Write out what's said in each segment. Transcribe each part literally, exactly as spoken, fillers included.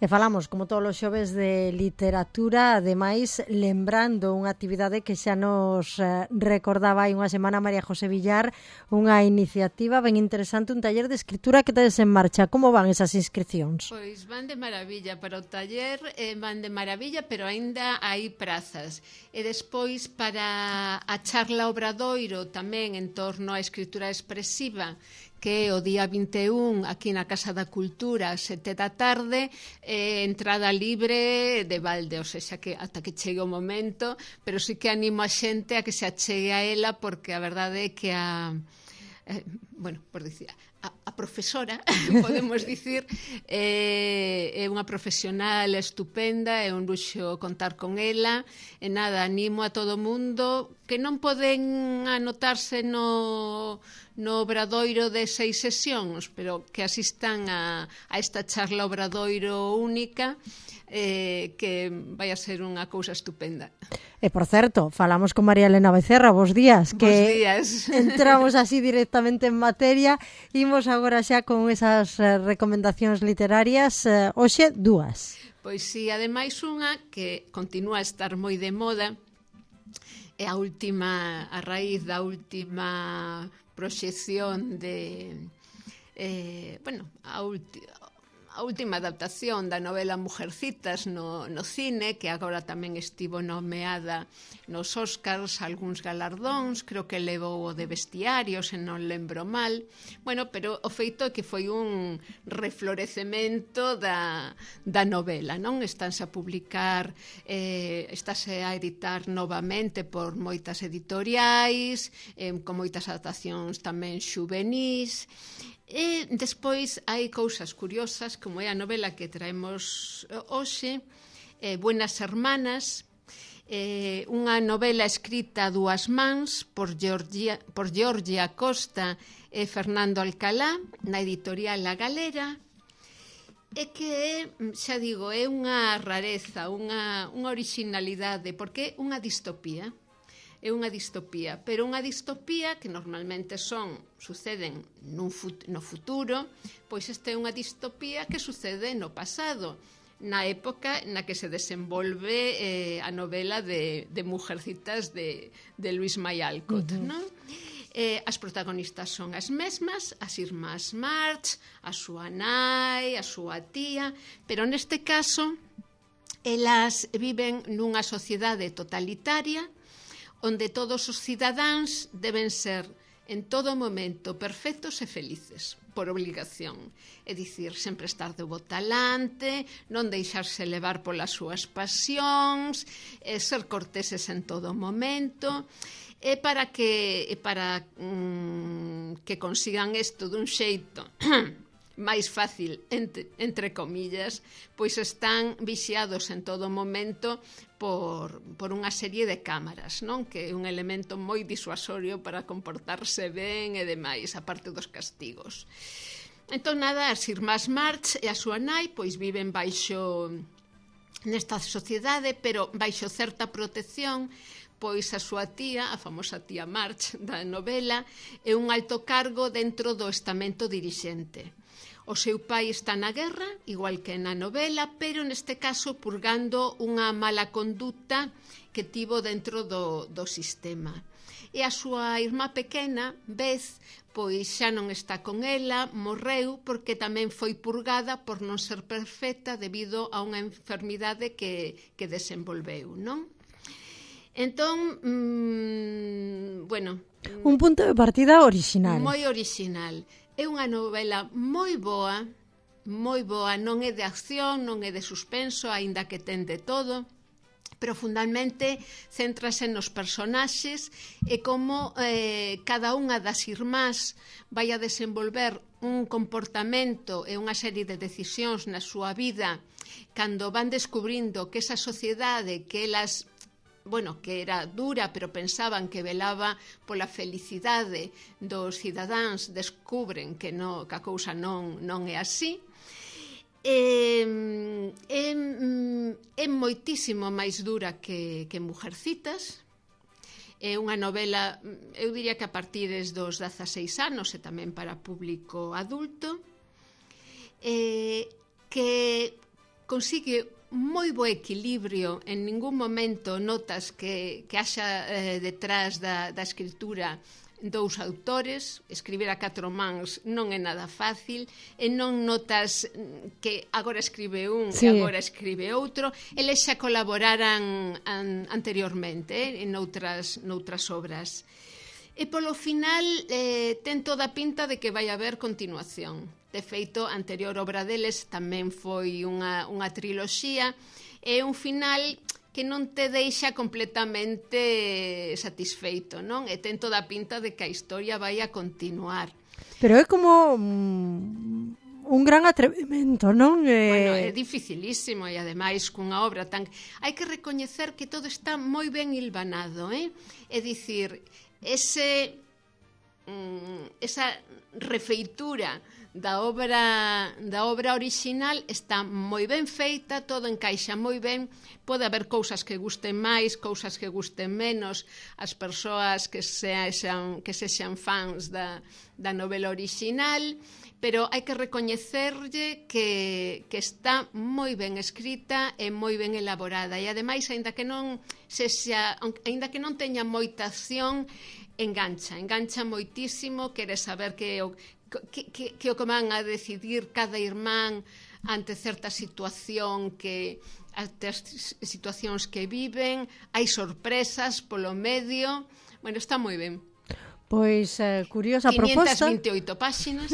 E falamos, como todos os xoves, de literatura, ademais, lembrando unha actividade que xa nos eh, recordaba hai unha semana María José Villar, unha iniciativa ben interesante, un taller de escritura que tedes en marcha. Como van esas inscripcións? Pois van de maravilla para o taller, eh, van de maravilla, pero aínda hai prazas. E despois para a charla Obradoiro tamén en torno á escritura expresiva, que é o día vinte e un aquí na Casa da Cultura, sete da tarde, eh, entrada libre de balde, ou seja, que ata que chegue o momento, pero sí que animo a xente a que se achegue a ela, porque a verdade é que a, eh, bueno, por dicir, a, a profesora, podemos dicir, eh, é unha profesional estupenda, é un luxo contar con ela, e nada, animo a todo o mundo que non poden anotarse no, no obradoiro de seis sesións, pero que asistan a, a esta charla obradoiro única, eh, que vai a ser unha cousa estupenda. E, por certo, falamos con María Elena Becerra, bos días. Bos que días. Entramos así directamente en materia. Imos agora xa con esas eh, recomendacións literarias. Eh, hoxe, dúas. Pois si, ademais unha que continúa a estar moi de moda, é a última, a raíz da última proxección de, eh, bueno, a última, a última adaptación da novela Mujercitas no, no cine, que agora tamén estivo nomeada nos Óscars, algúns galardóns, creo que levou o de Bestiario, se non lembro mal. Bueno, pero o feito é que foi un reflorecemento da, da novela, non? Estánse a publicar, eh, estáse a editar novamente por moitas editoriais, eh, con moitas adaptacións tamén xuvenís. E despois hai cousas curiosas, como é a novela que traemos hoxe, eh, Buenas Hermanas, eh, unha novela escrita a dúas mans por Georgia, por Georgia Costa e Fernando Alcalá, na editorial La Galera, e que, xa digo, é unha rareza, unha, unha originalidade, porque é unha distopía. É unha distopía, pero unha distopía que normalmente son, suceden nun fut, no futuro, pois esta é unha distopía que sucede no pasado, na época na que se desenvolve eh, a novela de, de Mujercitas de, de Luis Mayalcott, uh-huh. non? Eh, as protagonistas son as mesmas, as irmás March, a súa nai, a súa tía, pero neste caso elas viven nunha sociedade totalitaria onde todos os cidadáns deben ser en todo momento perfectos e felices, por obligación. É dicir, sempre estar de bo talante, non deixarse levar polas súas pasións, e ser corteses en todo momento, e para que, e para, mm, que consigan isto dun xeito máis fácil, entre, entre comillas, pois están vixiados en todo momento por, por unha serie de cámaras, non? Que é un elemento moi disuasorio para comportarse ben e demais, a parte dos castigos. Entón, nada, as irmás March e a súa nai pois viven baixo nesta sociedade, pero baixo certa protección, pois a súa tía, a famosa tía March da novela, é un alto cargo dentro do estamento dirixente. O seu pai está na guerra, igual que na novela, pero neste caso purgando unha mala conducta que tivo dentro do, do sistema. E a súa irmá pequena, Beth, pois xa non está con ela, morreu porque tamén foi purgada por non ser perfecta debido a unha enfermidade que, que desenvolveu, non? Entón, mmm, bueno... Un punto de partida original. Moi original. É unha novela moi boa, moi boa, non é de acción, non é de suspenso, aínda que ten de todo, pero fundamentalmente céntrase nos personaxes e como eh, cada unha das irmás vai a desenvolver un comportamento e unha serie de decisións na súa vida cando van descubrindo que esa sociedade que elas... bueno, que era dura, pero pensaban que velaba pola felicidade dos cidadáns, descubren que, no, que a cousa non, non é así. É, é, é moitísimo máis dura que, que Mujercitas. É unha novela, eu diría que a partir dos dezaseis anos e tamén para público adulto, eh, que consigue moi bo equilibrio, en ningún momento notas que, que haxa eh, detrás da, da escritura dous autores. Escribir a catro mans non é nada fácil, e non notas que agora escribe un sí. e agora escribe outro. Eles xa colaboraran an, anteriormente eh, en outras, noutras obras. E polo final eh, ten toda a pinta de que vai haber continuación. De feito, a anterior obra deles tamén foi unha, unha triloxía, e un final que non te deixa completamente satisfeito, non? E ten toda a pinta de que a historia vai a continuar. Pero é como mm, un gran atrevimento, non? Eh... Bueno, é dificilísimo, e ademais cunha obra tan... Hai que recoñecer que todo está moi ben hilvanado, eh? É dicir, ese, mm, esa refeitura da obra da obra orixinal está moi ben feita, todo encaixa moi ben. Pode haber cousas que gusten máis, cousas que gusten menos, as persoas que sexan, que sexan fans da, da novela orixinal, pero hai que recoñecerlle que, que está moi ben escrita e moi ben elaborada, e ademais, aínda que non sexa, aínda que non teña moita acción, engancha, engancha moitísimo, queres saber que o Que, que, que o que van a decidir cada irmán ante certa situación, que ante as situacións que viven, hai sorpresas polo medio. Bueno, está moi ben. Pois, eh, curiosa proposta. quinientas e vinte e oito páxinas.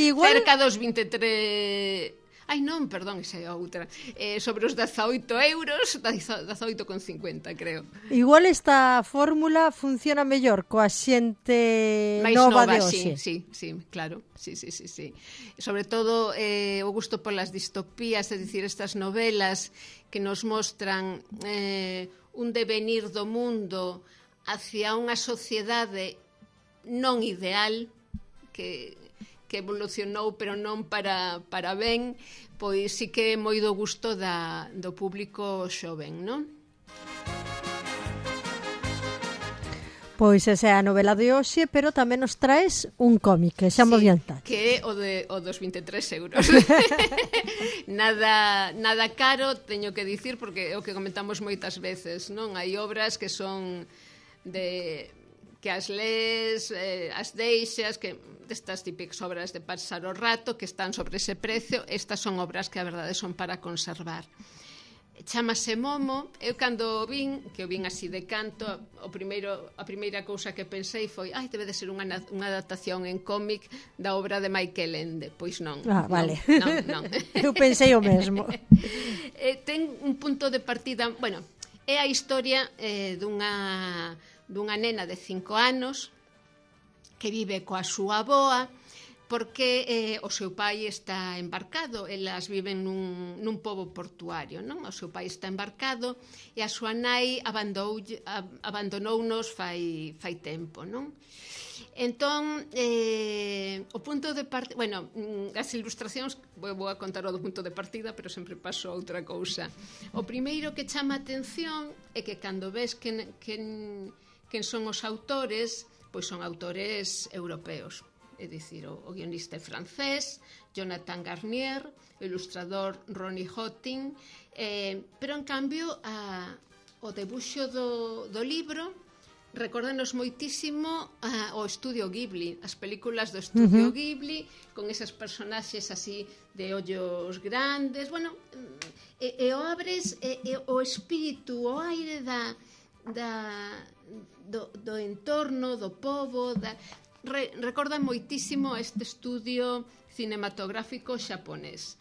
Igual... Cerca dos vinte e tres... Ai, non, perdón, esa é outra. Eh, sobre os dezaoito euros, dezaoito con cincuenta, creo. Igual esta fórmula funciona mellor coa xente Mais nova, nova de hoxe. Sí, sí, sí, claro. Sí, sí, sí, sí. Sobre todo eh, o gusto polas distopías, é dicir, estas novelas que nos mostran eh, un devenir do mundo hacia unha sociedade non ideal, que... que evolucionou, pero non para, para ben, pois sí que é moi do gusto da, do público xoven, non? Pois esa é a novela de hoxe, pero tamén nos traes un cómic, que xa mo sí, adiantar. Que é o, de, o dos vinte e tres euros. nada, nada caro, teño que dicir, porque é o que comentamos moitas veces, non? Hai obras que son de... que as lees, eh, as deixas, que destas típicas obras de pasar o rato, que están sobre ese precio. Estas son obras que a verdade son para conservar. Chámase Momo. Eu cando o vin, que o vin así de canto, o primeiro, a primeira cousa que pensei foi, ai, debe de ser unha, unha adaptación en cómic da obra de Michael Ende. Pois non. Ah, vale. Non, non, non. Eu pensei o mesmo. eh, ten un punto de partida, bueno, é a historia eh, dunha dunha nena de cinco anos que vive coa súa avoa, porque eh, o seu pai está embarcado. Elas viven nun, nun pobo portuario, non? O seu pai está embarcado e a súa nai abandonounos fai, fai tempo, non? Entón, eh, o punto de partida... Bueno, as ilustracións, vou a contar o do punto de partida, pero sempre paso a outra cousa. O primeiro que chama a atención é que cando ves que... que quen son os autores, pois son autores europeos. É dicir, o, o guionista é francés, Jonathan Garnier, o ilustrador Ronnie Hotting, eh, pero en cambio a, o debuxo do, do libro recórdanos moitísimo a, o Estudio Ghibli, as películas do Estudio uh -huh. Ghibli, con esas personaxes así de ollos grandes. Bueno, e, e o abres, e, e o espírito, o aire da... da Do, do entorno, do pobo, da... Re, recorda moitísimo este estudio cinematográfico xaponés.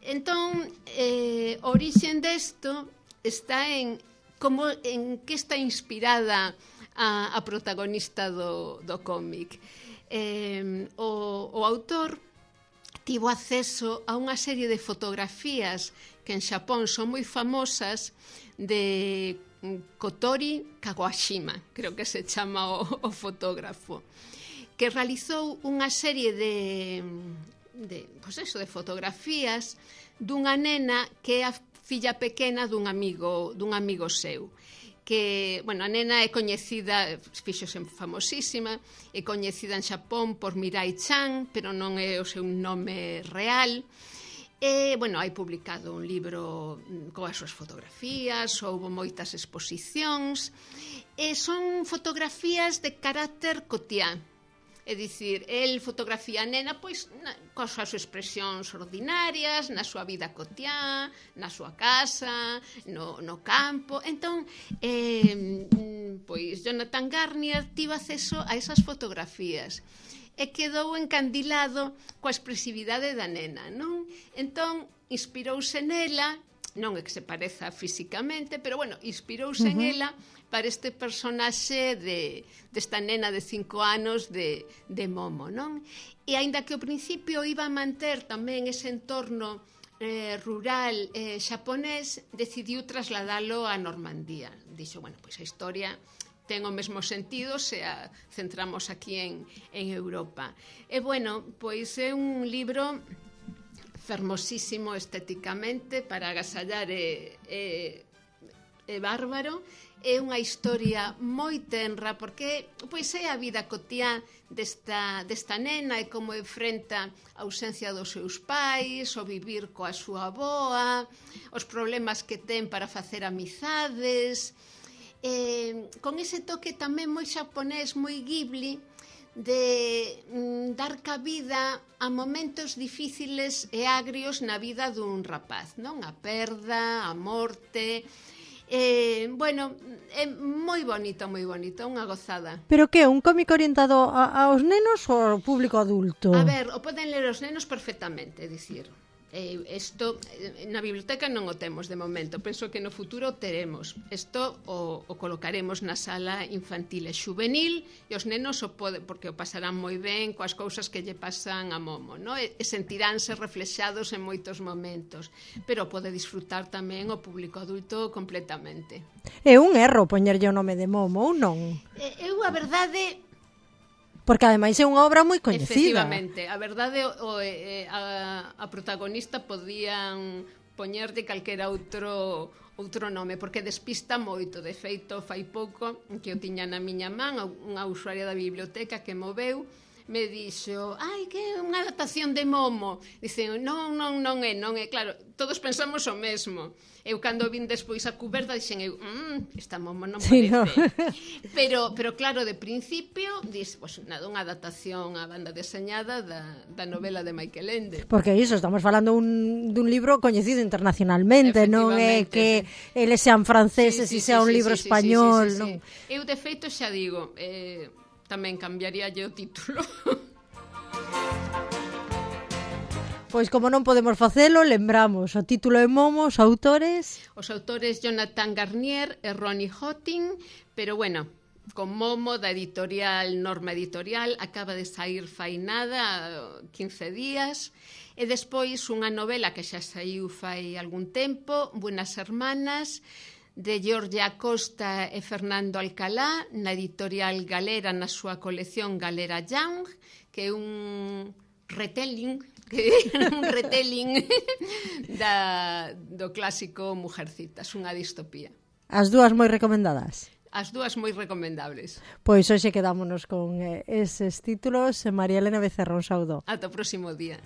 Entón, eh, a orixen desto está en como en que está inspirada a, a protagonista do, do cómic. Eh, o, o autor tivo acceso a unha serie de fotografías que en Xapón son moi famosas de Kotori Kawashima, creo que se chama o, o fotógrafo, que realizou unha serie de, de, pues eso, de fotografías dunha nena que é a filla pequena dun amigo, dun amigo seu. Que, bueno, a nena é coñecida, fíxose famosísima, é coñecida en Xapón por Mirai Chan, pero non é o seu nome real. E, bueno, hai publicado un libro coas súas fotografías, houve moitas exposicións, e son fotografías de carácter cotián. É dicir, el fotografía a nena pois na, coas súas expresións ordinarias, na súa vida cotiá, na súa casa, no, no campo. Entón, eh, pois Jonathan Garnier tivo acceso a esas fotografías e quedou encandilado coa expresividade da nena, non? Entón, inspirouse nela, non é que se pareza físicamente, pero, bueno, inspirouse uh-huh. en ela para este personaxe de, desta nena de cinco anos de, de Momo, non? E aínda que ao principio iba a manter tamén ese entorno eh, rural eh, xaponés, decidiu trasladalo a Normandía. Dixo, bueno, pois a historia ten o mesmo sentido se a centramos aquí en, en Europa. E, bueno, pois é un libro fermosísimo estéticamente para agasallar e, e, e bárbaro. É unha historia moi tenra porque pois é a vida cotiá desta, desta nena e como enfrenta a ausencia dos seus pais, o vivir coa súa avoa, os problemas que ten para facer amizades, eh, con ese toque tamén moi xaponés, moi Ghibli, de mm, dar cabida a momentos difíciles e agrios na vida dun rapaz, non? A perda, a morte. Eh, bueno, é moi bonito, moi bonito, unha gozada. Pero que, un cómic orientado a, aos nenos ou ao público adulto? A ver, o poden ler os nenos perfectamente, é dicir, eh, isto na biblioteca non o temos de momento, penso que no futuro o teremos. Isto o, o colocaremos na sala infantil e xuvenil e os nenos o pode, porque o pasarán moi ben coas cousas que lle pasan a Momo, no? e, e sentiránse reflexados en moitos momentos, pero pode disfrutar tamén o público adulto completamente. É un erro poñerlle o nome de Momo ou non? Eu, a verdade... Porque ademais é unha obra moi coñecida. Efectivamente, a verdade o, eh, a, a protagonista podían poñerlle calquera outro outro nome, porque despista moito. De feito, fai pouco que eu tiña na miña man unha usuaria da biblioteca que moveu, me dixo, ai, que é unha adaptación de Momo. Dicen, non, non, non é, non é. Claro, todos pensamos o mesmo. Eu cando vin despois a cuberta dixen eu, mmm, esta Momo non parece. Sí, no. pero, pero claro, de principio dix, pues, nada, unha adaptación á banda deseñada da, da novela de Michael Ende. Porque iso, estamos falando un, dun libro coñecido internacionalmente, non é que sí. eles sean franceses e sí, sí, sea sí, un libro sí, español. Sí, sí, sí, sí, non? Sí. Eu, de feito, xa digo, eh, tamén cambiaría o título. Pois como non podemos facelo, lembramos o título de Momo, os autores... Os autores Jonathan Garnier e Ronnie Hotting, pero bueno, con Momo da editorial Norma Editorial, acaba de sair fai nada, quince días, e despois unha novela que xa saiu fai algún tempo, Buenas Hermanas, de Georgia Acosta e Fernando Alcalá, na editorial Galera, na súa colección Galera Young, que é un retelling... que un retelling da, do clásico Mujercitas, unha distopía. As dúas moi recomendadas? As dúas moi recomendables. Pois hoxe quedámonos con eh, eses títulos. María Elena Becerra, un saúdo. Ata o próximo día.